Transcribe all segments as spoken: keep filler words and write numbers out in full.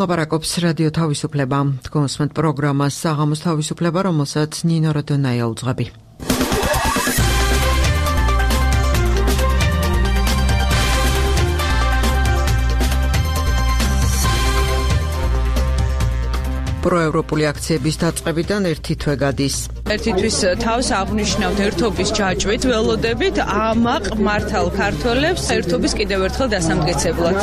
ლაპარაკობს რადიო თავისუფლება. თქვენსმენთ პროგრამას საღამოს თავისუფლება, რომელსაც ნინო როდონაია უძღვები. პროევროპული აქციების დაწყებიდან ერთი თვე გადის. ერთი თვის თავს აღნიშნავთ ერთობის ჯაჭვით, ველოდებით ამაყ მართალ ქართველებს ერთობის კიდევ ერთხელ დასამტკიცებლად.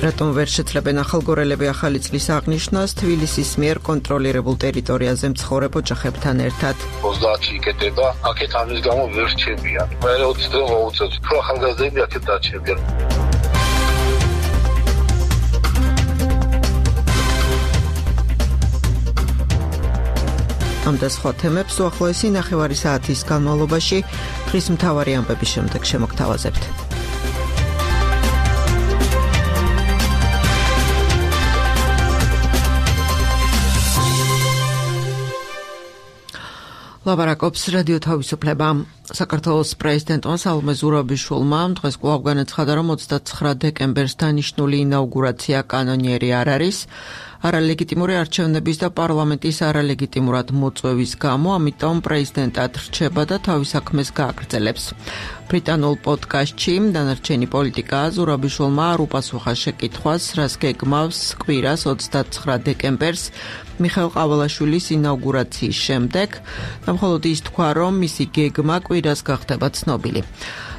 რატომ ვერ შეძლებენ ახალგორელები ახალი წლის აღნიშვნას თბილისის მიერ კონტროლირებულ ტერიტორიაზე მცხოვრებ ოჯახებთან ერთად? ოცდაათი იკეტება, აქეთ ამის გამო ვერ რჩებიან. მერე ოცი დღე მოუწევთ, უფრო ახალგაზრდები აქეთ დარჩებიან. ამ და სხვა თემებს უახლოესი ნახევარი საათის განმავლობაში დღის მთავარი ამბების შემდეგ შემოგთავაზებთ. ლაპარაკობს რადიო თავისუფლება. საქართველოს პრეზიდენტმა სალომე ზურაბიშვილმა დღეს კვლავ განაცხადა, რომ ოცდაცხრა დეკემბერს დანიშნული ინაუგურაცია კანონიერი არ არის, არალეგიტიმური არჩევნების და პარლამენტის არალეგიტიმურად მოწვევის გამო, ამიტომ პრეზიდენტად რჩება და თავის საქმეს გააგრძელებს. ბრიტანულ პოდკასტში დანარჩენი პოლიტიკა ზურაბიშვილმა არ უპასუხა შეკითხვას, რას გეგმავს კვირას ოცდაცხრა დეკემბერს მიხეილ ყავალაშვილის ინაუგურაციის შემდეგ და მხოლოდ ის თქვა, რომ მისი გეგმა კვირას გახდება ცნობილი.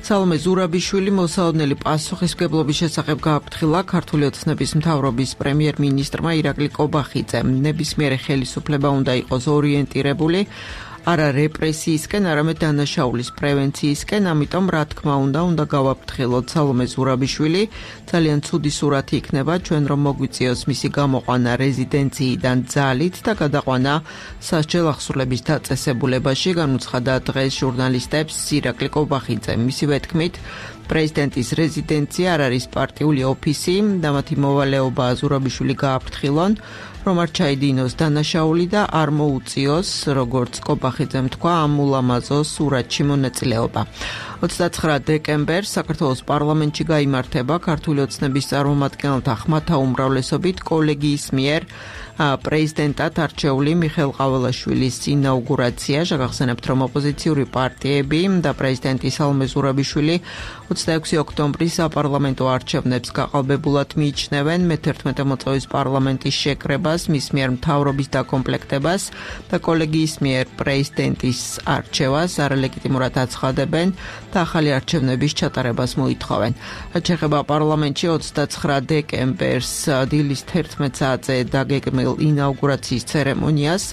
სალომე ზურაბიშვილი მოსაოდნელი პასუხისმგებლობის შესახებ გააფრთხილა ქართული ოცნების მთავრობის პრემიერ-მინისტრმა ირაკლი კობახიძემ. ნებისმიერი ხელისუფლება უნდა იყოს ორიენტირებული არა რეპრესიისკენ, არამედ დანაშაულის პრევენციისკენ, ამიტომ რა თქმა უნდა, უნდა გავაფრთხილოთ. სალომე ზურაბიშვილი ძალიან ცუდი სურათი იქნება ჩვენ რომ მოგვიწიოს მისი გამოყვანა რეზიდენციიდან ძალით და გადაყვანა სასჯელ ახსულების დაწესებულებაში, განუცხადა დღეს ჟურნალისტებს ირაკლი კობახიძე. მისივე თქმით, პრეზიდენტის რეზიდენცია არ არის პარტიული ოფისი და მათი მოვალეობა ზურაბიშვილი გააფრთხილონ, რომ არ ჩაიდინოს დანაშაული და არ მოუწიოს, როგორც კობახიძემ თქვა, ამ ულამაზო სურათში მონაწილეობა. ოცდაცხრა დეკემბერს საქართველოს პარლამენტში გაიმართება ქართული ოცნების წარმომადგენელთა ხმათა უმრავლესობით კოლეგიის მიერ პრეზიდენტად არჩეული მიხეილ ყავალაშვილის ინაუგურაცია. შეგახსენებთ, რომ ოპოზიციური პარტიები და პრეზიდენტი სალომე ზურაბიშვილი ოცდაექვსი ოქტომბრის საპარლამენტო არჩევნებს გაყალბებულად მიიჩნევენ მეთერთმეტე მოწვევის პარლამენტის შეკრებას, მის მიერ მთავრობის დაკომპლექტებას და კოლეგიის მიერ პრეზიდენტის არჩევას არალეგიტიმურად აცხადებენ და ახალი არჩევნების ჩატარებას მოითხოვენ. რაც შეეხება პარლამენტში ოცდაცხრა დეკემბერს დილის თერთმეტ საათზე დაგეგმილ ინაუგურაციის ცერემონიას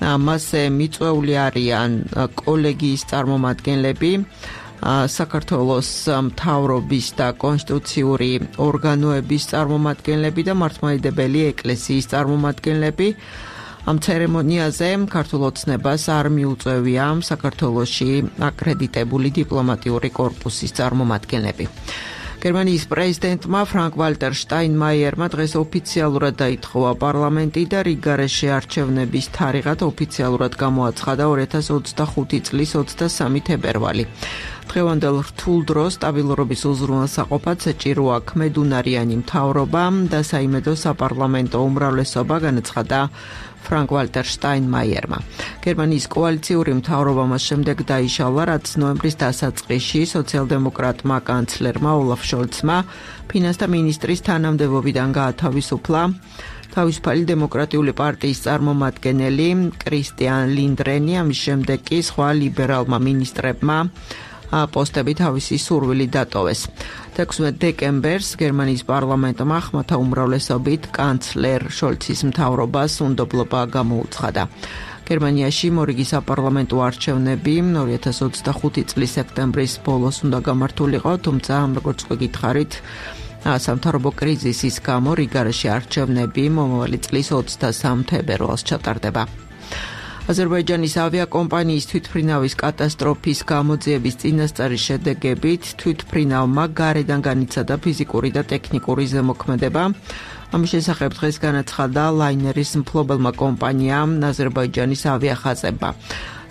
მასზე მიწვეული არიან კოლეგიის წარმომადგენლები, საქართველოს მთავრობის და კონსტიტუციური ორგანოების წარმომადგენლები და მართლმადიდებელი ეკლესიის წარმომადგენლები. ამ ცერემონიაზე ქართულ ოცნებას არ მიუწევია საქართველოში აკრედიტებული დიპლომატიური კორპუსის წარმომადგენლები. გერმანიის პრეზიდენტმა ფრანკ ვალტერ შტაინმაიერმა დღეს ოფიციალურად დაითხოვა პარლამენტი და რიგ გარეშე არჩევნების თარიღად ოფიციალურად გამოაცხადა ორი ათას ოცდახუთი წლის ოცდასამი თებერვალი. დღევანდელ რთულ დროს სტაბილურობის უზრუნველსაყოფად საჭიროა ქმედუნარიანი მთავრობა და საიმედო საპარლამენტო უმრავლესობა, განაცხადა ფრანკ ვალტერ შტაინმაიერმა. გერმანიის კოალიციური მთავრობა მას შემდეგ დაიშალა, რაც ნოემბრის დასაწყისში სოციალ-დემოკრატმა კანცლერმა ოლაფ შოლცმა ფინანსთა მინისტრის თანამდებობიდან გაათავისუფლა თავისუფალი დემოკრატიული პარტიის წარმომადგენელი კრისტიან ლინდრენი, ამის შემდეგ კი სხვა ლიბერალმა მინისტრებმა პოსტები თავისი სურვილი დატოვეს. ექვსმეტ დეკემბერს გერმანიის პარლამენტმა ხმათა უმრავლესობით კანცლერ შოლცის მთავრობას უნდობლობა გამოუცხადა. გერმანიაში მორიგი საპარლამენტო არჩევნები ორი ათას ოცდახუთი წლის სექტემბრის ბოლოს უნდა გამართულიყო, თუმცა როგორც გითხარით, სამთავრობო კრიზისის გამო რიგარეშე არჩევნები მომავალი წლის ოცდასამ თებერვალს ჩატარდება. აზერბაიჯანის ავიაკომპანიის თვითმფრინავის კატასტროფის გამოძიების წინასწარის შედეგებით თვითმფრინავმა გარედან განიცადა ფიზიკური და ტექნიკური ზემოქმედება. ამის შესახებ დღეს განაცხადა ლაინერის მფლობელმა კომპანიამ აზერბაიჯანის ავიახაზებმა.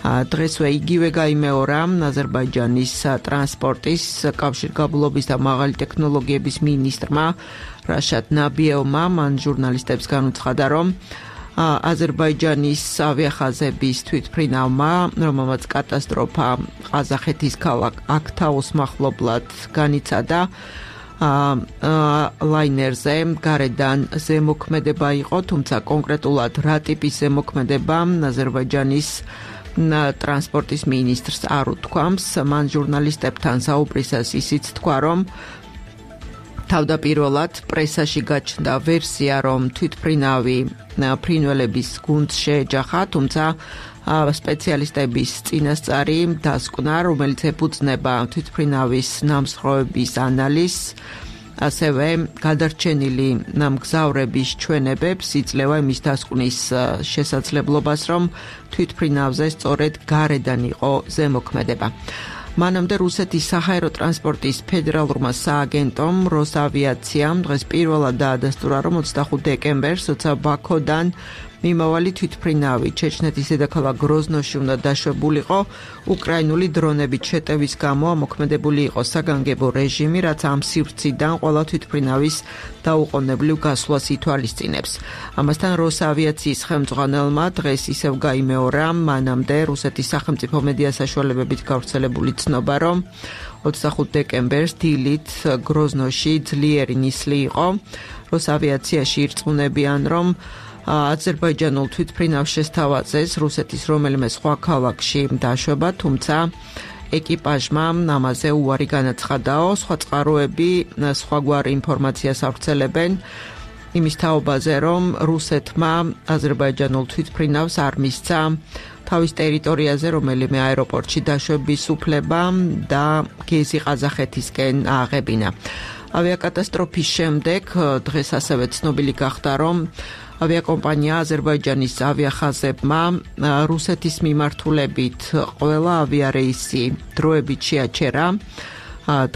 დღესვე იგივე გაიმეორა აზერბაიჯანის ტრანსპორტის კავშირგაბმულობის და მაღალი ტექნოლოგიების მინისტრმა რაშად ნაბიევმა მან ჟურნალისტებს განუცხადა, რომ აზერბაიჯანის ავიახაზების თვითმფრინავმა, რომელმაც კატასტროფა ყაზახეთის ქალაქ აქტაუს მახლობლად განიცადა, ლაინერზე გარედან ზემოქმედება იყო, თუმცა კონკრეტულად რა ტიპის ზემოქმედება აზერბაიჯანის ტრანსპორტის მინისტრს არ უთქვამს. მან ჟურნალისტებთან საუბრისას ისიც თქვა, რომ თავდაპირველად პრესაში გაჩნდა ვერსია, რომ თვითმფრინავი ფრინველების გუნდს შეეჯახა, თუმცა სპეციალისტების წინასწარი დასკვნა, რომელიც ეფუძნება თვითმფრინავის ნამსხვრევების ანალიზს, ასევე გადარჩენილი მგზავრების ჩვენებებს იძლევა იმის დასკვნის შესაძლებლობას, რომ თვითმფრინავზე სწორედ გარედან იყო ზემოქმედება. მანამდე რუსეთის საჰაერო ტრანსპორტის ფედერალურმა სააგენტომ როსავიაციამ დღეს პირველად დაადასტურა, რომ ოცდახუთი დეკემბერს, როცა ბაქოდან მიმავალი თვითმფრინავი ჩეჩნეთის დედაქალაქ გროზნოში უნდა დაშვებულიყო, უკრაინული დრონებით შეტევის გამო ამოქმედებული იყო საგანგებო რეჟიმი, რაც ამ სივრციდან ყველა თვითმფრინავის დაუყოვნებლივ გასვლას ითვალისწინებს. ამასთან როსავიაციის ხელმძღვანელმა დღეს ისევ გაიმეორა მანამდე რუსეთის სახელმწიფო მედია საშუალებებით გავრცელებული ცნობა, რომ ოცდახუთი დეკემბერს დილით გროზნოში ძლიერი ნისლი იყო. როსავიაციაში ირწმუნებიან, რომ აზერბაიჯანულ თვითმფრინავს შესთავაზეს რუსეთის რომელიმე სხვა ქალაქში დაშვება, თუმცა ეკიპაჟმა ამაზე უარი განაცხადაო. სხვა წყაროები სხვაგვარი ინფორმაციას ავრცელებენ იმის თაობაზე, რომ რუსეთმა აზერბაიჯანულ თვითმფრინავს არ მისცა თავის ტერიტორიაზე რომელიმე აეროპორტში დაშვების უფლება და გეზი ყაზახეთისკენ ააღებინა. ავიაკატასტროფის შემდეგ დღეს ასევე ცნობილი გახდა, რომ ავიაკომპანია აზერბაიჯანის ავიახაზებმა რუსეთის მიმართულებით ყველა ავიარეისი დროებით შეაჩერა.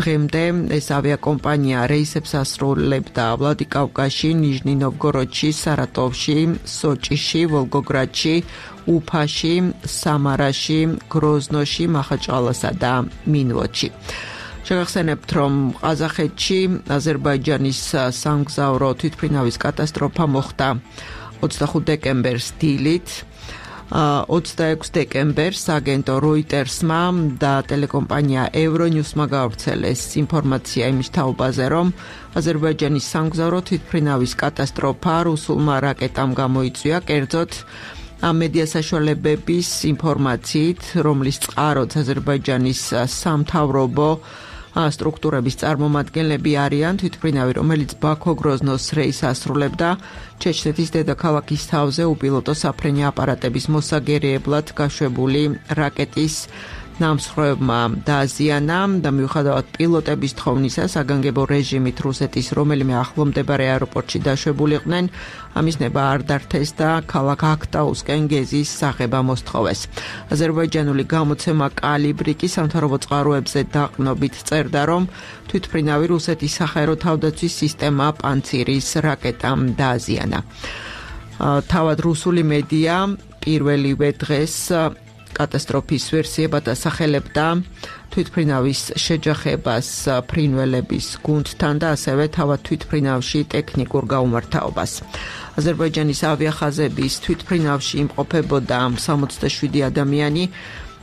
დღემდე ეს ავიაკომპანია რეისებს ასრულებდა ვლადიკავკაზში, ნიჟნი-ნოვგოროდში, სარატოვში, სოჭიში, ვოლგოგრადში, უფაში, სამარაში, გროზნოში, მახაჩყალასა და მინვოდში. შეგახსენებთ, რომ ყაზახეთში აზერბაიჯანის სამგზავრო თვითმფრინავის კატასტროფა მოხდა ოცდახუთი დეკემბერს დილით. ოცდაექვსი დეკემბერს აგენტო როიტერსმა და ტელეკომპანია ევრონიუსმა გავრცელეს ინფორმაცია იმის თაობაზე, რომ აზერბაიჯანის სამგზავრო თვითმფრინავის კატასტროფა რუსულმა რაკეტამ გამოიწვია, კერძოდ ამ მედია საშუალებების ინფორმაციით, რომლის წყაროც აზერბაიჯანის სამთავრობო სტრუქტურების წარმომადგენლები არიან, თვითმფრინავი, რომელიც ბაქო-გროზნოს რეისს ასრულებდა, ჩეჩნეთის დედაქალაქის თავზე უპილოტო საფრენი აპარატების მოსაგერიებლად გაშვებული რაკეტის ნამსხვრევმა დააზიანა და მიუხედავად პილოტების თხოვნისა, საგანგებო რეჟიმით რუსეთის რომელიმე ახლომდებარე აეროპორტში დაშვებულიყვნენ, ამის ნება არ დართეს და ქალაქ აქტაუსკენ გეზის აღება მოსთხოვეს. აზერბაიჯანული გამოცემა კალიბრი კი სამთავრობო წყაროებზე დაყრდნობით წერდა, რომ თვითმფრინავი რუსეთის საჰაერო თავდაცვის სისტემა პანცირის რაკეტამ დააზიანა. თავად რუსული მედია პირველივე დღეს კატასტროფის ვერსიებად ასახელებდა თვითმფრინავის შეჯახებას ფრინველების გუნდთან და ასევე თავად თვითმფრინავში ტექნიკურ გაუმართავობას. აზერბაიჯანის ავიახაზების თვითმფრინავში იმყოფებოდა სამოცდაშვიდი ადამიანი,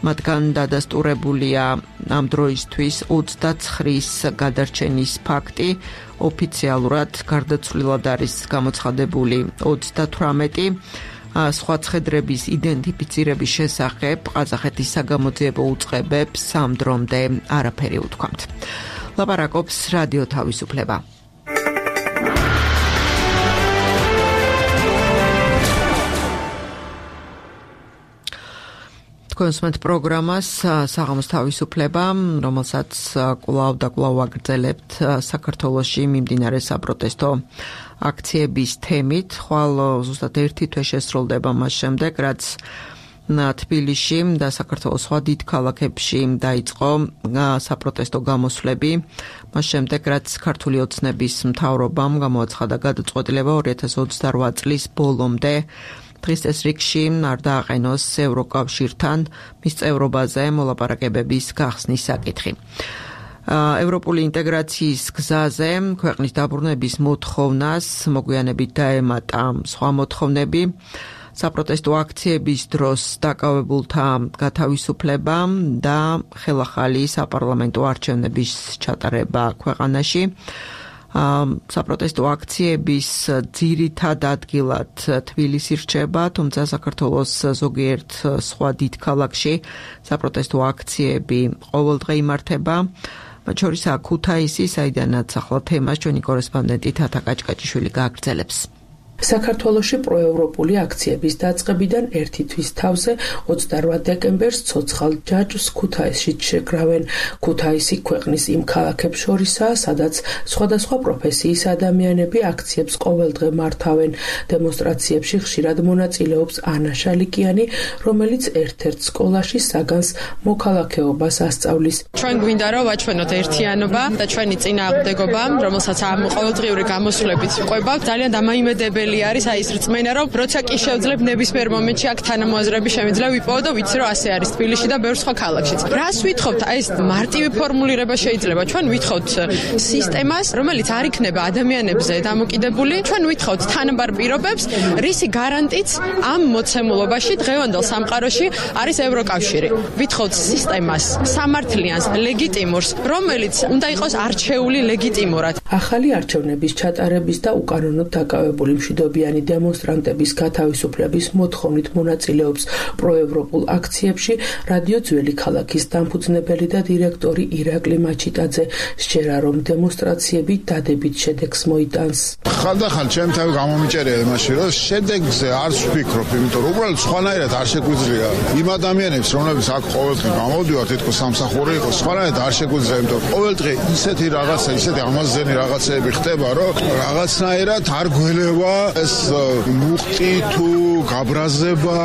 მათგან დადასტურებულია ამ დროისთვის ოცდაცხრის გადარჩენის ფაქტი, ოფიციალურად გარდაცვლილად არის გამოცხადებული ოცდათვრამეტი. სხვა ცხედრების იდენტიფიცირების შესახებ ყაზახეთის საგამოძიებო უწყებებს ამ დრომდე არაფერი უთქვამთ. ლაპარაკობს რადიო თავისუფლება. თქვენსმენთ პროგრამას საღამოს თავისუფლება, რომელსაც კვლავ და კვლავ აგრძელებთ საქართველოში მიმდინარე საპროტესტო აქციების თემით. ხვალ ზუსტად ერთი თვე შესრულდება მას შემდეგ, რაც თბილისში და საქართველოს სხვა დიდ ქალაქებში დაიწყო საპროტესტო გამოსვლები. მას შემდეგ, რაც ქართული ოცნების მთავრობამ გამოაცხადა გადაწყვეტილება ორი ათას ოცდარვა წლის ბოლომდე დღის წესრიგში არ დააყენოს ევროკავშირთან მის წევრობაზე მოლაპარაკებების გახსნის საკითხი. ევროპული ინტეგრაციის გზაზე ქვეყნის დაბრუნების მოთხოვნას მოგვიანებით დაემატა სხვა მოთხოვნები. საპროტესტო აქციების დროს დაკავებულთა გათავისუფლება და ხელახალი საპარლამენტო არჩევნების ჩატარება ქვეყანაში. საპროტესტო აქციების ძირითად ადგილად თბილისი რჩება, თუმცა საქართველოს ზოგიერთ სხვა დიდ ქალაქში საპროტესტო აქციები ყოველდღე იმართება. მათ შორისაა ქუთაისი, საიდანაც ახლა თემას ჩვენი კორესპონდენტი თათა კაჭკაჭიშვილი გააგრძელებს. საქართველოში პროევროპული აქციების დაწყებიდან ერთი თვის თავზე ოცდარვა დეკემბერს ცოცხალ ჯაჭვს ქუთაისში შეკრავენ. ქუთაისი ქვეყნის იმ ქალაქებს შორისაა, სადაც სხვადასხვა პროფესიის ადამიანები აქციებს ყოველდღე მართავენ. დემონსტრაციებში ხშირად მონაწილეობს ანა შალიკიანი, რომელიც ერთ-ერთ სკოლაში საგანს მოქალაქეობას ასწავლის. ჩვენ გვინდა რომ ვაჩვენოთ ერთიანობა და ჩვენი წინააღმდეგობა, რომელსაც ამ ყოველდღიური გამოსვლებით ყვება, ძალიან დამაიმედებელი არის აი ეს რწმენა, რომ როცა კი შევძლებ ნებისმიერ მომენტში აქ თანამოაზრეები შემიძლია ვიპოვო და ვიცი რომ ასე არის თბილისში და ბევრ სხვა ქალაქშიც. რას ვითხოვთ? აი ეს მარტივი ფორმულირება შეიძლება. ჩვენ ვითხოვთ სისტემას, რომელიც არ იქნება ადამიანებზე დამოკიდებული. ჩვენ ვითხოვთ თანაბარ პირობებს, რისი გარანტიც ამ მოცემულობაში დღევანდელ სამყაროში არის ევროკავშირი. ვითხოვთ სისტემას, სამართლიანს, ლეგიტიმურს, რომელიც უნდა იყოს არჩეული ლეგიტიმურად. ახალი არჩევნების ჩატარების და უკანონოდ დაკავებული მშვიდობიანი დემონსტრანტების გათავისუფლების მოთხოვნით მონაწილეობს პროევროპულ აქციებში რადიო ძველი ქალაქის დამფუძნებელი და დირექტორი ირაკლი მაჩიტაძე. სჯერა რომ დემონსტრაციები დადებით შედეგს მოიტანს. ხალხთან ჩემ თავი გამომიჭერია იმაში, რომ შედეგზე არ ვფიქრობ, იმიტომ რომ უბრალოდ სხვანაირად არ შეგვიძლია იმ ადამიანებს, რომლებიც აქ ყოველდღე გამოდივართ, თითქოს სამსახური იყოს, სხვანაირად არ შეგვიძლია, იმიტომ რომ ყოველდღე ისეთი რაღაცა, ისეთი ამაზენი რაღაცეები ხდება, რომ რაღაცნაირად არ გველევა ეს მუხტი თუ გაბრაზება.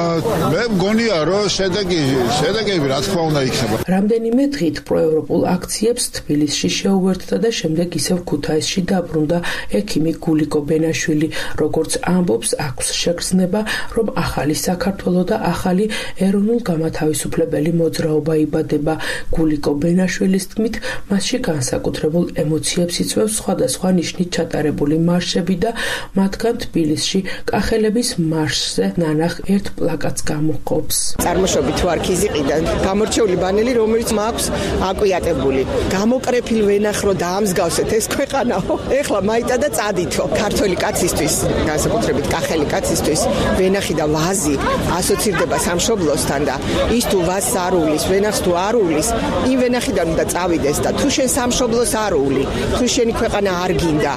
მე მგონია, რომ შედეგი, შედეგები რა თქმა უნდა იქნება. რამდენიმე დღით პროევროპულ აქციებს თბილისში შეუერთდა და შემდეგ ისევ ქუთაისში დაბრუნდა ექიმი გულიკო ბენაშვილი. როგორც ამბობს, აქვს შეგრძნება, რომ ახალი საქართველო და ახალი ეროვნულ-გამათავისუფლებელი მოძრაობა იბადება. გულიკო ბენაშვილის თქმით, მასში განსაკუთრებულ ემოციებს იწვევს სხვადასხვა ნიშნით ჩატარებული მარშები და მათგან თბილისში კახელების მარშზე ნანახ ერთ პლაკატს გამოყოფს. წარმოშობით ვარ ქიზიყიდან, გამორჩეული ბანელი, რომელიც მაქვს აკვიატებული. გამოკრეფილ ვენახრო დაამსგავსეთ ეს ქვეყანაო. ეხლა მაიტა და წადითო. ქართველი კაცისთვის, განსაკუთრებით კახელი კაცისთვის, ვენახი და ვაზი ასოცირდება სამშობლოსთან და ის თუ ვაზს არ უვლის, ვენახს თუ არ უვლის, იმ ვენახიდან უნდა წავიდეს და თუ შენ სამშობლოს არ უვლი, თუ შენი ქვეყანა არ გინდა,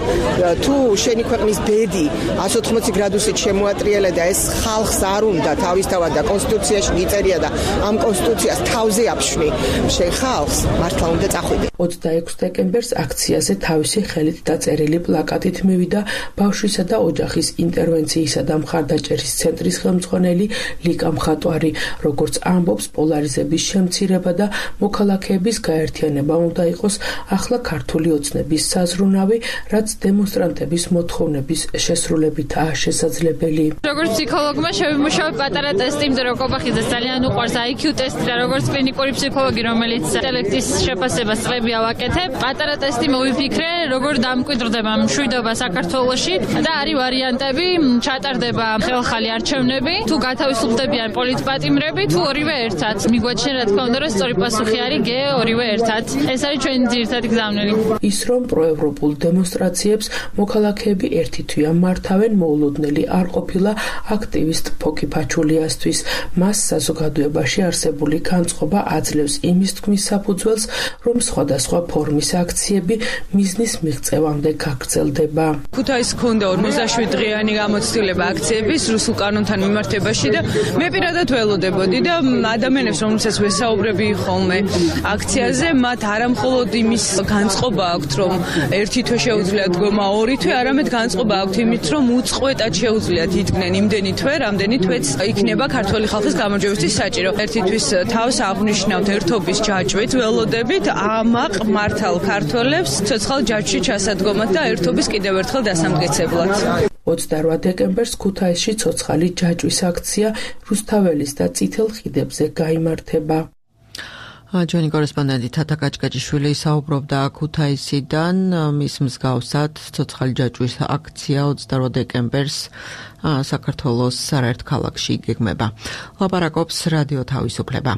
თუ შენი ქვეყნის ბედი εκατს ოთხმოცი გრადუსით შემოატრიელა და ეს ხალხს არ უნდა თავისთავად და კონსტიტუციაში მიწერია და ამ კონსტიტუციას თავზე აფშვი, შენ ხალხს მართლა უნდა წახვიდე. ოცდაექვსი დეკემბერს აქციაზე თავისი ხელით დაწერილი პლაკატით მივიდა ბავშვისა და ოჯახის ინტერვენციისა და მხარდაჭერის ცენტრის ხელმძღვანელი ლიკა მხატვარი. როგორც ამბობს, პოლარიზების შემცირება და მოქალაქეების გაერთიანება უნდა იყოს ახლა ქართული ოცნების საზრუნავი, რაც დემონსტრანტების მოთხოვნების შესრულებითაა შესაძლებელი. როგორც ფსიქოლოგმა შევიმუშავე პატარა ტესტი, იმიტომ რომ კობახიძეს ძალიან უყვარს აი ქიუ ტესტი და როგორც კლინიკური ფსიქოლოგი, რომელიც ინტელექტის შეფასებას წლები ავაკეთებ, პატარა ტესტი მოვიფიქრე, როგორ დამკვიდრდება მშვიდობა საქართველოში და არის ვარიანტები, ჩატარდება ხელხალი არჩევნები, თუ გათავისუფლდებიან პოლიტპატიმრები, თუ ორივე ერთად. მიგვაჩნია რა თქმა უნდა, რომ სწორი პასუხი არის გე ორივე ერთად. ეს არის ჩვენი ძირითადი გზავნილი. ის რომ პროევროპულ დემონსტრაციებს მოქალაქეები ერთი თვია მართავენ, მოულოდნელი არ ყოფილა აქტივისტ ფოკი ფაჩულიასთვის. მას საზოგადოებაში არსებული განწყობა აძლევს იმის თქმის საფუძველს, რომ სხვადასხვა ფორმის აქციები მიზნის მიღწევამდე გაგრძელდება. ქუთაისს ჰქონდა ორმოცდაშვიდ დღიანი გამოცდილება აქციების რუსულ კანონთან მიმართებაში და მე პირადად ველოდებოდი და ადამიანებს, რომელსაც ვესაუბრები ხოლმე აქციაზე, მათ არამხოლოდ იმის განწყობა აქვთ, რომ ერთი თვე შეუძლია დგომა, ორი თვე, არამედ განწყობა აქვთ იმით, რომ უწყვეტად შეუძლიათ იდგნენ იმდენი თვე, რამდენი თვეც იქნება ქართველი ხალხის გამარჯვებისთვის საჭირო. ერთი თვის თავს აღნიშნავთ ერთობის ჯაჭვით, ველოდებით ამაყ მართალ ქართველებს ცოცხალ ჯაჭვში ჩასადგომად და ერთობის კიდევ ერთხელ დასამტკიცებლად. ოცდარვა დეკემბერს ქუთაისში ცოცხალი ჯაჭვის აქცია რუსთაველის და წითელ ხიდებზე გაიმართება. ჩვენი კორესპონდენტი თათა კაჭკაჭიშვილი საუბრობდა ქუთაისიდან, მის მსგავსად ცოცხალი ჯაჭვის აქცია ოცდარვა დეკემბერს საქართველოს არაერთ ქალაქში იგეგმება. ლაპარაკობს რადიო თავისუფლება.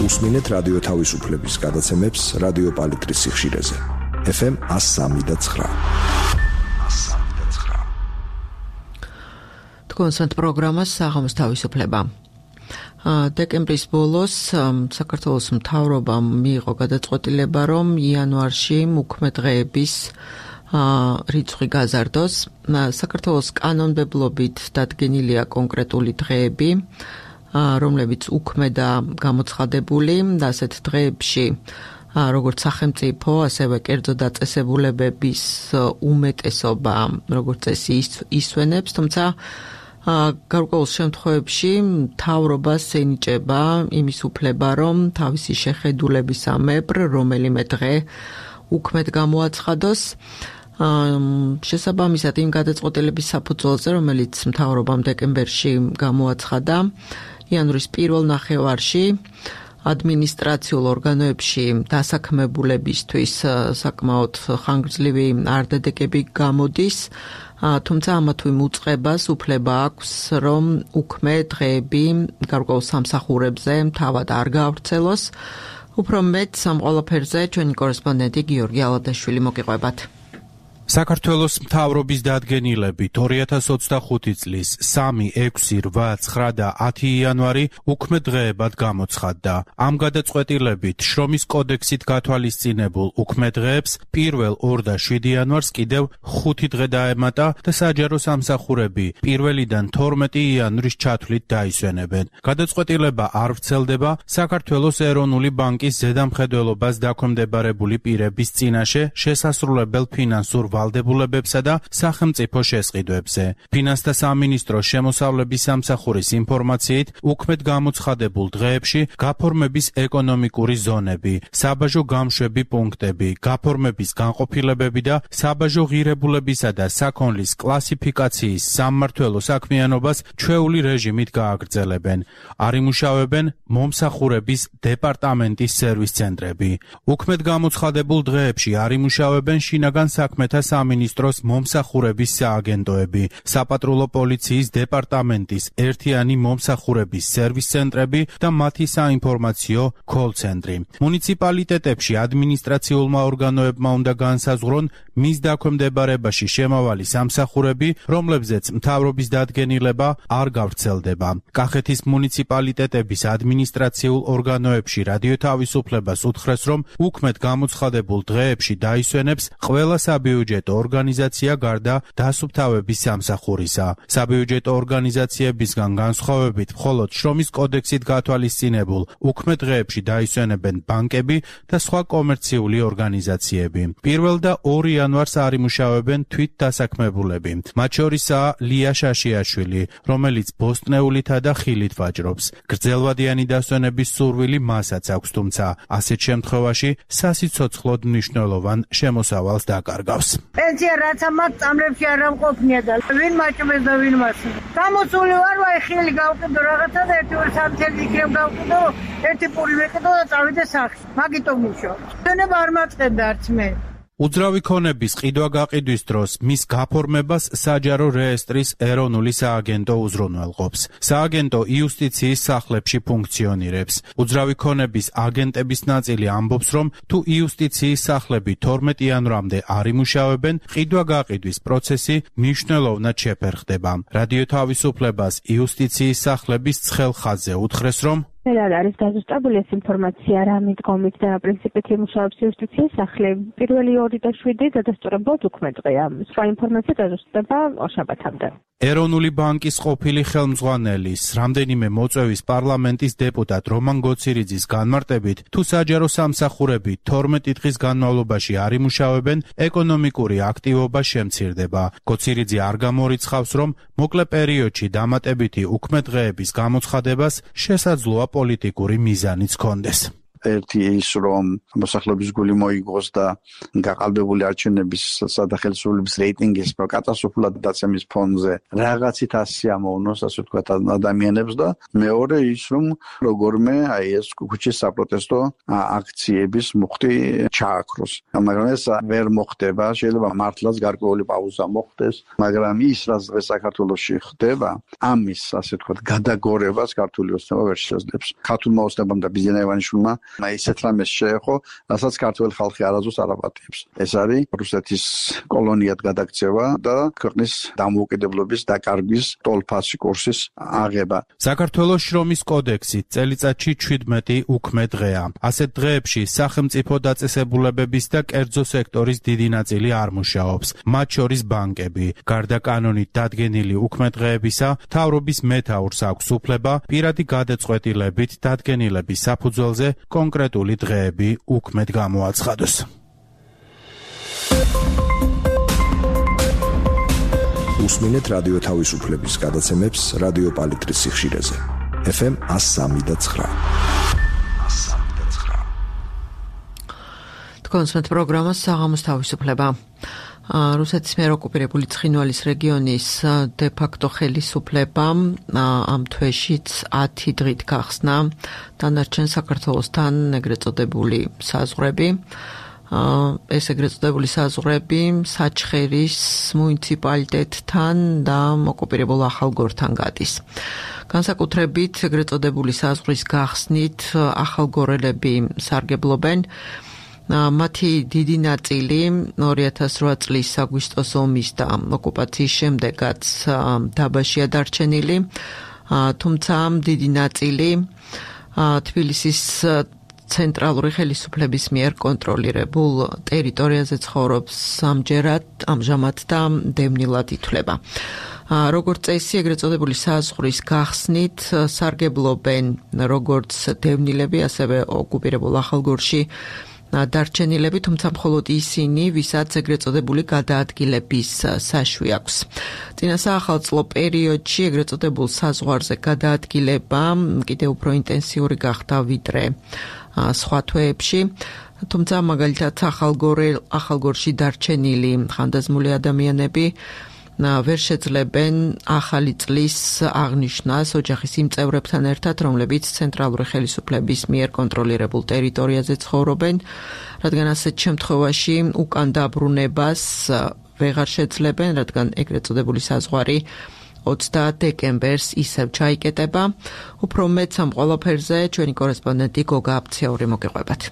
უსმინეთ რადიო თავისუფლების გადაცემებს რადიო პალიტრის სიხშირეზე. ეფ ემ one oh three point nine. კონსერტ პროგრამას საღამოს თავისუფლება. დეკემბრის ბოლოს საქართველოს მთავრობამ მიიღო გადაწყვეტილება, რომ იანვარში უქმე დღეების რიცხვი გაზარდოს. საქართველოს კანონმდებლობით დადგენილია კონკრეტული დღეები, რომლებიც უქმე და გამოცხადებული და ასეთ დღეებში როგორც სახელმწიფო, ასევე კერძო დაწესებულებების უმეტესობა, როგორც წესი ისვენებს, თუმცა გარკვეულ შემთხვევებში მთავრობას ენიჭება იმის უფლება, რომ თავისი შეხედულებისამებრ რომელიმე დღე უქმედ გამოაცხადოს. შესაბამისად იმ გადაწყვეტილების საფუძველზე, რომელიც მთავრობამ დეკემბერში გამოაცხადა, იანვრის პირველ ნახევარში ადმინისტრაციულ ორგანოებში დასაქმებულებისთვის საკმაოდ ხანგრძლივი არდადეგები გამოდის, თუმცა ამა თუ იმ უწყებას უფლება აქვს, რომ უქმე დღეები გარკვეულ სამსახურებზე თავად არ გაავრცელოს. უფრო მეტ ამ ყველაფერზე ჩვენი კორესპონდენტი გიორგი ალადაშვილი მოგიყვებათ. საქართველოს მთავრობის დადგენილებით ორი ათას ოცდახუთი წლის სამი, ექვსი, რვა, ცხრა და ათი იანვარი უქმე დღეებად გამოცხადდა. ამ გადაწყვეტილებით შრომის კოდექსით გათვალისწინებულ უქმე დღეებს პირველ, ორ და შვიდი იანვარს კიდევ ხუთი დღე დაემატა და საჯარო სამსახურები პირველიდან თორმეტი იანვრის ჩათვლით დაისვენებენ. გადაწყვეტილება არ ვრცელდება საქართველოს ეროვნული ბანკის ზედამხედველობას დაქვემდებარებული პირების წინაშე შესასრულებელ ფინანსურ ვალდებულებებსა და სახელმწიფო შესყიდვებზე. ფინანსთა სამინისტროს შემოსავლების სამსახურის ინფორმაციით, უქმედ გამოცხადებულ დღეებში გაფორმების ეკონომიკური ზონები, საბაჟო გამშვები პუნქტები, გაფორმების განყოფილებები და საბაჟო ღირებულებისა და საქონლის კლასიფიკაციის სამმართველო საქმიანობას ჩვეული რეჟიმით გააგრძელებენ. არ იმუშავებენ მომსახურების დეპარტამენტის სერვის ცენტრები. უქმედ გამოცხადებულ დღეებში არ იმუშავებენ შინაგან საქმეთა სამინისტროს მომსახურების სააგენტოები, საპატრულო პოლიციის დეპარტამენტის ერთიანი მომსახურების სერვის ცენტრები და მათი საინფორმაციო კოლ-ცენტრი. მუნიციპალიტეტებში ადმინისტრაციულმა ორგანოებმა უნდა განსაზღვრონ მის დაქვემდებარებაში შემავალი სამსახურები, რომლებზეც მთავრობის დადგენილება არ გავრცელდება. კახეთის მუნიციპალიტეტების ადმინისტრაციულ ორგანოებში რადიო თავისუფლებას უთხრეს, რომ უქმედ გამოცხადებულ დღეებში დაისვენებს ყველა საბიუჯეტო ორგანიზაცია გარდა დასუფთავების სამსახურისა. საბიუჯეტო ორგანიზაციებისგან განსხვავებით მხოლოდ შრომის კოდექსით გათვალისწინებულ უქმე დღეებში დაისვენებენ ბანკები და სხვა კომერციული ორგანიზაციები. პირველ და ორ იანვარს არ იმუშავებენ თვით დასაქმებულები. მათ შორისაა ლია შაშიაშვილი, რომელიც ბოსტნეულითა და ხილით ვაჭრობს. გრძელვადიანი დასვენების სურვილი მასაც აქვს, თუმცა ასეთ შემთხვევაში სასიცოცხლოდ მნიშვნელოვან შემოსავალს დაკარგავს. პენსია რაც ამათ წამლებში არ ამყოფნია და ვინ მაჭმეს და ვინ მას. გამოსული ვარ, ვაი ხილი გავყიდო რაღაცა და ერთი ორი სამი წელი იქნებ გავყიდო, ერთი პური ვეკიდო და წავიდე სახლში. მაგიტომ მუშაობ. დენება არ მაწყენდა არც მე. უძრავი ქონების ყიდვა-გაყიდვის დროს მის გაფორმებას საჯარო რეესტრის ეროვნული სააგენტო უზრუნველყოფს. სააგენტო იუსტიციის სახლებში ფუნქციონირებს. უძრავი ქონების აგენტების ნაწილი ამბობს, რომ თუ იუსტიციის სახლები თორმეტი იანვრამდე არ იმუშავებენ, ყიდვა-გაყიდვის პროცესი მნიშვნელოვნად შეფერხდება. რადიო თავისუფლებას იუსტიციის სახლების ცხელ ხაზზე უთხრეს, რომ Fel არის დაზუსტებული ეს ინფორმაცია რა მიდგომით და პრინციპით იმუშავებს იუსტიციის სახლი. პირველი ორი და შვიდი დადასტურებლად უქმე დღეა. სხვა ინფორმაცია დაზუსტდება ორ შაბათამდე. ეროვნული ბანკის ყოფილი ხელმძღვანელის, რამდენიმე მოწვევის პარლამენტის დეპუტატ რომან გოცირიძის განმარტებით, თუ საჯარო სამსახურები თორმეტი დღის განმავლობაში არ იმუშავებენ, ეკონომიკური აქტივობა შემცირდება. გოცირიძე არ გამორიცხავს, რომ მოკლე პერიოდში დამატებითი უქმე დღეების გამოცხადებას შესაძლოა პოლიტიკური მიზანიც ჰქონდეს. ერთი ის რომ მოსახლეობის გული მოიგოს და გაყალბებული არჩევნების სადახელსრულების რეიტინგის კატასტროფულად დაცემის ფონზე რაღაცით ასიამოვნოს, ასე ვთქვათ, ადამიანებს და მეორე ის რომ როგორმე აი ეს ქუჩის საპროტესტო აქციების მუხტი ჩააქროს. მაგრამ ეს ვერ მოხდება, შეიძლება მართლაც გარკვეული პაუზა მოხდეს, მაგრამ ის რაც დღეს საქართველოში ხდება, ამის ასე ვთქვათ გადაგორებას ქართული ოცნება ვერ შეძლებს. ქართულმა ოცნებამ და ბიზნეს ივანიშვილმა ისეთ რამეს შეეხო, რასაც ქართველი ხალხი არასდროს არ აპატიებს. ეს არის რუსეთის კოლონიად გადაქცევა და ქვეყნის დამოუკიდებლობის დაკარგვის ტოლფასი კურსის აღება. საქართველოს შრომის კოდექსით წელიწადში შვიდმეტი უქმე დღეა. ასეთ დღეებში სახელმწიფო დაწესებულებების და კერძო სექტორის დიდი ნაწილი არ მუშაობს, მათ შორის ბანკები. გარდა კანონით დადგენილი უქმე დღეებისა, მთავრობის მეთაურს აქვს უფლება პირადი გადაწყვეტილებით დადგენილების საფუძველზე კონკრეტული დღეები უქმედ გამოაცხადოს. უსმინეთ რადიო თავისუფლების გადაცემებს რადიო პალიტრის სიხშირეზე. ეფ ემ one oh three და nine. თქვენს პროგრამას საღამოს თავისუფლება. რუსეთის მიერ ოკუპირებული ცხინვალის რეგიონის დე-ფაქტო ხელისუფლებამ ამ თვეშიც ათი დღით გახსნა დანარჩენ საქართველოსთან ეგრეთ წოდებული საზღვრები. ეს ეგრეთ წოდებული საზღვრები საჩხერის მუნიციპალიტეტთან და ოკუპირებულ ახალგორთან გადის. განსაკუთრებით ეგრეთ წოდებული საზღვრის გახსნით ახალგორელები სარგებლობენ. მათი დიდი ნაწილი ორი ათას რვა წლის აგვისტოს ომის და ოკუპაციის შემდეგაც დაბაშია დარჩენილი, თუმცა დიდი ნაწილი თბილისის ცენტრალური ხელისუფლების მიერ კონტროლირებულ ტერიტორიაზე ცხოვრობს ამჯერად, ამჟამად და დევნილად ითვლება. როგორც წესი, ეგრეთ წოდებული საზღვრის გახსნით სარგებლობენ როგორც დევნილები, ასევე ოკუპირებულ ახალგორში დარჩენილები, თუმცა მხოლოდ ისინი, ვისაც ეგრეთ წოდებული გადაადგილების საშვი აქვს. წინა საახალწლო პერიოდში ეგრეთ წოდებულ საზღვარზე გადაადგილება კიდევ უფრო ინტენსიური გახდა ვიდრე სხვა თვეებში, თუმცა მაგალითად ახალგორში დარჩენილი ხანდაზმული ადამიანები ვერ შეძლებენ ახალი წლის აღნიშვნას ოჯახის იმ წევრებთან ერთად, რომლებიც ცენტრალური ხელისუფლების მიერ კონტროლირებულ ტერიტორიაზე ცხოვრობენ, რადგან ასეთ შემთხვევაში უკან დაბრუნებას ვეღარ შეძლებენ, რადგან ეგრეთ წოდებული საზღვარი ოცდაათ დეკემბერს ისევ ჩაიკეტება. უფრო მეტს ამ ყველაფერზე ჩვენი კორესპონდენტი გოგა აფციური მოგეყვებათ.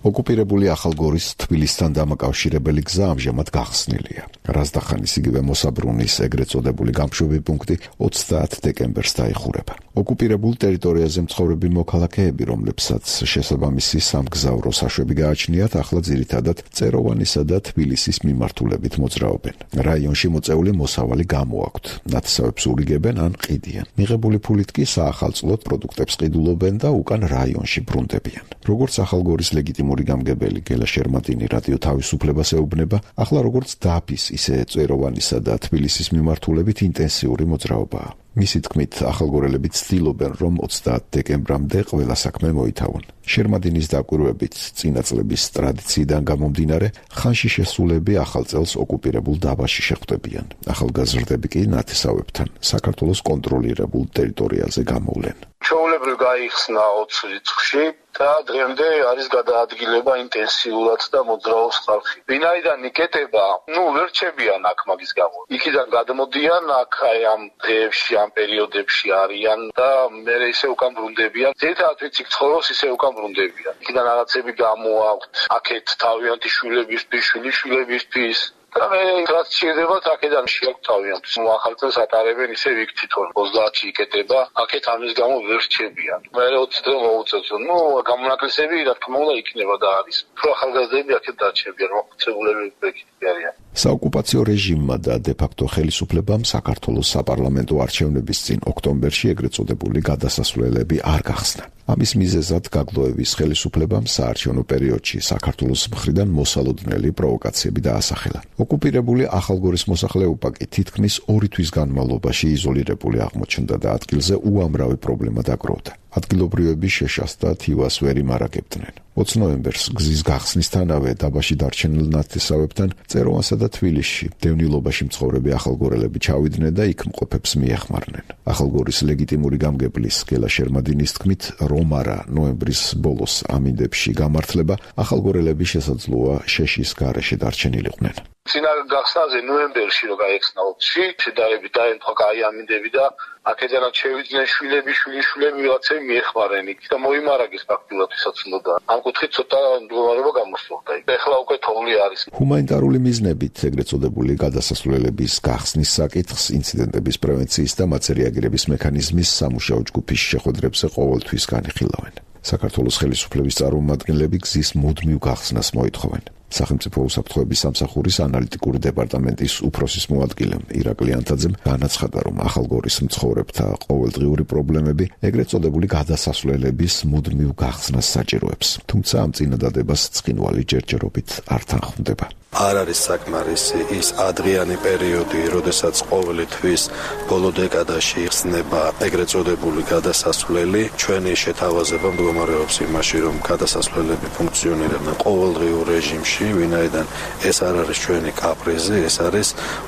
ოკუპირებული ახალგორის თბილისთან დამაკავშირებელი გზა ამჟამად გახსნილია. რაზდახანის იგივე მოსაბრუნის ეგრეთ წოდებული გამშვები პუნქტი ოცდაათ დეკემბერს დაიხურება. ოკუპირებულ ტერიტორიაზე მცხოვრები მოქალაქეები, რომლებსაც შესაბამისი სამგზავრო საშვები გააჩნიათ, ახლა ძირითადად წეროვანისა და თბილისის მიმართულებით მოძრაობენ. რაიონში მოწეული მოსავალი გამოაქვთ. ნათესავებს ურიგებენ ან ყიდიან. მიღებული ფულით კი საახალწლოდ პროდუქტებს ყიდულობენ და უკან რაიონში ბრუნდებიან. როგორც ახალგორის ლეგიტიმური გამგებელი გელა შერმატინი რადიო თავისუფლებას ეუბნება, ახლა როგორც დაფის, ისე წეროვანისა და თბილისის მიმართულებით ინტენსიური მოძრაობაა. მისი თქმით, ახალგორელები ცდილობენ, რომ ოცდაათ დეკემბრამდე ყველა საქმე მოითავონ. შერმადინის დაკვირვებით, წინა წლების ტრადიციიდან გამომდინარე, ხანში შესულები ახალ წელს ოკუპირებულ დაბაში შეხვდებიან. ახალგაზრდები კი ნათესავებთან საქართველოს კონტროლირებულ ტერიტორიაზე გამოვლენ. ჩვეულებრივ გაიხსნა ოცი რიცხვში და დღემდე არის გადაადგილება ინტენსიურად და მოძრაობს ხალხი. ვინაიდან იკეტება, ნუ ვერ რჩებიან აქ მაგის გამო. იქიდან გადმოდიან, აქ აი ამ დღეებში, ამ პერიოდებში არიან და მერე ისე უკან ბრუნდებიან. ზედათ ვიცი ცხოვრობს ისე უკან ბრუნდებიან. იქიდან რაღაცები გამოაქვთ, აქეთ თავიანთი შვილებისთვის, შვილიშვილებისთვის და მე რაც შეიძლება აქედან შეგვთავიან. ახალ წელს ატარებენ ისე იქ თვითონ ოცდაათში იკეტება, აქეთ ამის გამო ვერ რჩებიან. მე ოცი დღე მოუწევს, ნუ გამონაკლისები რა თქმა უნდა იქნება და არის. უფრო ახალგაზრდები აქეთ დარჩებიან, მოხუცებულები იქ არიან. საოკუპაციო რეჟიმმა და დე-ფაქტო ხელისუფლებამ საქართველოს საპარლამენტო არჩევნების წინ ოქტომბერში ეგრეთ წოდებული გადასასვლელები არ გახსნა. ამის მიზეზად გაგლოების ხელისუფლებამ საარჩევნო პერიოდში საქართველოს მხრიდან მოსალოდნელი პროვოკაციები დაასახელა. ოკუპირებული ახალგორის მოსახლეობა კი თითქმის ორი თვის განმავლობაში იზოლირებული აღმოჩნდა და ადგილზე უამრავი პრობლემა დაგროვდა. ადგილობრივები შეშას და თივას ვერ იმარაგებდნენ. ოცი ნოემბერს გზის გახსნისთანავე დაბაში დარჩენილ ნათესავებთან წეროვანსა და თბილისში დევნილობაში მცხოვრები ახალგორელები ჩავიდნენ და იქ მყოფებს მიეხმარნენ. ახალგორის ლეგიტიმური გამგებლის გელა შერმადინის თქმით, რომ არა ნოემბრის ბოლოს ამინდებში გამართლება, ახალგორელები შესაძლოა შეშის გარეშე დარჩენილიყვნენ. წინა გახსნაზე ნოემბერში რო გაიხსნა ოცი, შედარებით დაემთხვა კაი ამინდები და აქედანაც შევიდნენ შვილები, შვილიშვილები ვიღაცები მიეხმარნენ იქ და მოიმარაგეს ფაქტურად ვისაც უნდა. ამ კუთხით ცოტა მდგომარეობა გამოსწორდა. ეხლა უკვე თოვლი არის. ჰუმანიტარული მიზნებით ეგრეთ წოდებული გადასასვლელების გახსნის საკითხს ინციდენტების პრევენციის და მათზე რეაგირების მექანიზმის სამუშაო ჯგუფის შეხვედრებზე ყოველთვის განიხილავენ. საქართველოს ხელისუფლების წარმომადგენლები გზის მუდმივ გახსნას მოითხოვენ. სახელმწიფო უსაფრთხოების სამსახურის ანალიტიკური დეპარტამენტის უფროსის მოადგილემ ირაკლი ანთაძემ განაცხადა, რომ ახალგორის მცხოვრებთა ყოველდღიური პრობლემები ეგრეთ წოდებული გადასასვლელების მუდმივ გახსნას საჭიროებს. თუმცა ამ წინადადებას ცხინვალი ჯერჯერობით არ თანხმდება. არ არის საკმარისი ის ადრიანი პერიოდი, როდესაც ყოველი თვის ბოლო დეკადაში იხსნება ეგრეთ წოდებული გადასასვლელი. ჩვენი შეთავაზება მდგომარეობს იმაში, რომ გადასასვლელები ფუნქციონირებენ ყოველდღიურ რეჟიმში, ვინაიდან ეს არ არის ჩვენი კაპრიზი, ეს არის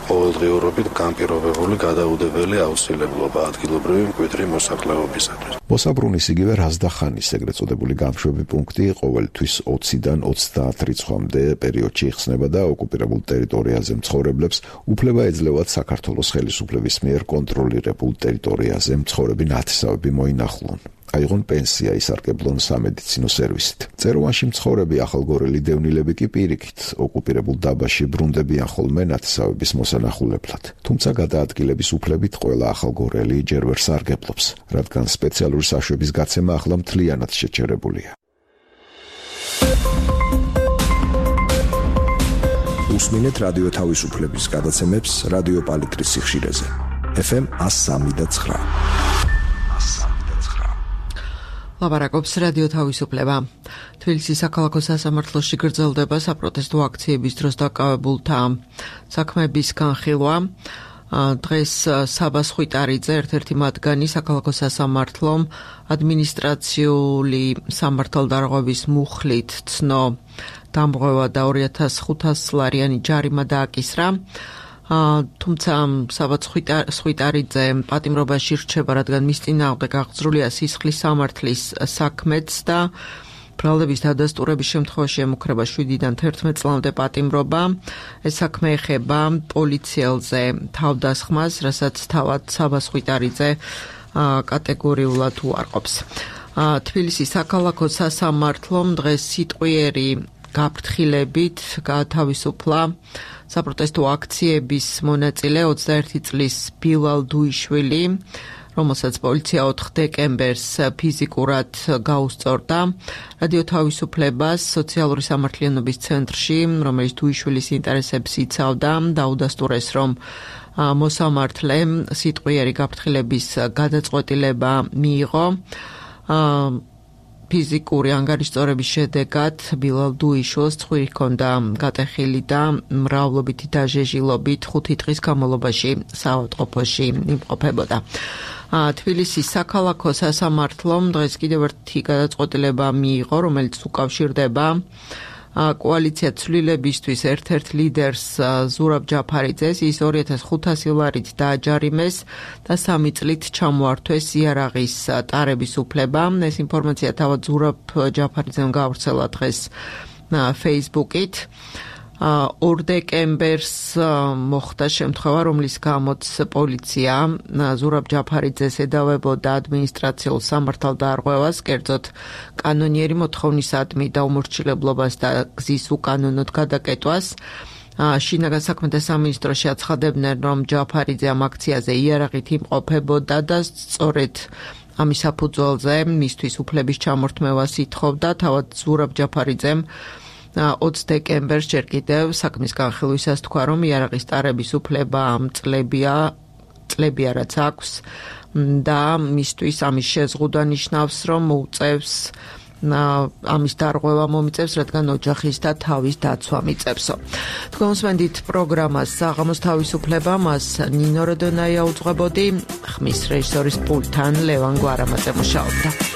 ყოველდღიურობით განპირობებული გადაუდებელი აუცილებლობა ადგილობრივი მკვიდრი მოსახლეობისათვის. მოსაბრუნის იგივე რაზდახანის ეგრეთ წოდებული გამშვები პუნქტი ყოველთვის ოციდან ოცდაათ რიცხვამდე პერიოდში იხსნება და ოკუპირებულ ტერიტორიაზე მცხოვრებლებს უფლება ეძლევათ საქართველოს ხელისუფლების მიერ კონტროლირებულ ტერიტორიაზე მცხოვრები ნათესავები მოინახულონ. აიღონ პენსია, ისარგებლონ სამედიცინო სერვისით. წეროვანში მცხოვრები ახალგორელი დევნილები კი პირიქით ოკუპირებულ დაბაში ბრუნდებიან ხოლმე ნათესავების მოსანახულებლად. თუმცა გადაადგილების უფლებით ყველა ახალგორელი ჯერ ვერ სარგებლობს, რადგან სპეციალური საშვების გაცემა ახლა მთლიანად შეჩერებულია. უსმინეთ რადიო თავისუფლების გადაცემებს რადიო პალიტრის სიხშირეზე. ეფ ემ ას სამი და ცხრა. ლაპარაკობს რადიო თავისუფლება. თბილისის საქალაქო სასამართლოში გრძელდება საპროტესტო აქციების დროს დაკავებულთა საქმეების განხილვა. დღეს საბას ხვიტარიძე, ერთ-ერთი მათგანი საქალაქო სასამართლომ ადმინისტრაციული სამართალდარღვევის მუხლით ცნო დამღვევა და ორი ათას ხუთას ლარიანი ჯარიმა დააკისრა. თუმცა საბაც ხვიტარიძე პატიმრობაში რჩება, რადგან მის წინააღმდეგ აღძრულია სისხლის სამართლის საქმეც და ბრალდების დადასტურების შემთხვევაში ემუქრება შვიდიდან თერთმეტ წლამდე პატიმრობა. ეს საქმე ეხება პოლიციელზე თავდასხმას, რასაც თავად საბას ხვიტარიძე კატეგორიულად უარყოფს. თბილისის საქალაქო სასამართლომ დღეს სიტყვიერი გაფრთხილებით გაათავისუფლა საპროტესტო აქციების მონაწილე ოცდაერთი წლის ბილალ დუიშვილი, რომელსაც პოლიცია ოთხ დეკემბერს ფიზიკურად გაუსწორდა. რადიო თავისუფლებას სოციალური სამართლიანობის ცენტრში, რომელიც დუიშვილის ინტერესებს იცავდა, დაუდასტურეს, რომ მოსამართლემ სიტყვიერი გაფრთხილების გადაწყვეტილება მიიღო. ფიზიკური ანგარიშწორების შედეგად ბილალ დუიშვილს ცხვირი ჰქონდა გატეხილი და მრავლობითი დაჟეჟილობით ხუთი დღის განმავლობაში საავადმყოფოში იმყოფებოდა. თბილისის საქალაქო სასამართლომ დღეს კიდევ ერთი გადაწყვეტილება მიიღო, რომელიც უკავშირდება კოალიცია ცვლილებისთვის ერთ-ერთ ლიდერს ზურაბ ჯაფარიძეს. ის ორი ათას ხუთასი ლარით დააჯარიმეს და სამი წლით ჩამოართვეს იარაღის ტარების უფლება. ეს ინფორმაცია თავად ზურაბ ჯაფარიძემ გაავრცელა დღეს Facebook-ით. ორ დეკემბერს მოხდა შემთხვევა, რომლის გამოც პოლიცია ზურაბ ჯაფარიძეს ედავებოდა ადმინისტრაციულ სამართალდარღვევას, კერძოდ კანონიერი მოთხოვნისადმი და უმორჩილებლობას და გზის უკანონოდ გადაკეტვას. შინაგან საქმეთა სამინისტროში აცხადებდნენ, რომ ჯაფარიძე ამ აქციაზე იარაღით იმყოფებოდა და სწორედ ამის საფუძველზე მისთვის უფლების ჩამორთმევას ითხოვდა. თავად ზურაბ ჯაფარიძემ ოცი დეკემბერს ჯერ კიდევ საქმის განხილვისას თქვა, რომ იარაღის ტარების უფლება ამ წლებია, წლებია რაც აქვს და მისთვის ამის შეზღუდვა ნიშნავს, რომ მოუწევს ამის დარღვევა მომიწევს, რადგან ოჯახის და თავის დაცვა მიწევსო. თქვენ უსმენთ პროგრამას საღამოს თავისუფლება, მას ნინო როდონაია უძღვებოდი, ხმის რეჟისორის პულტთან ლევან გვარამაძე მუშაობდა.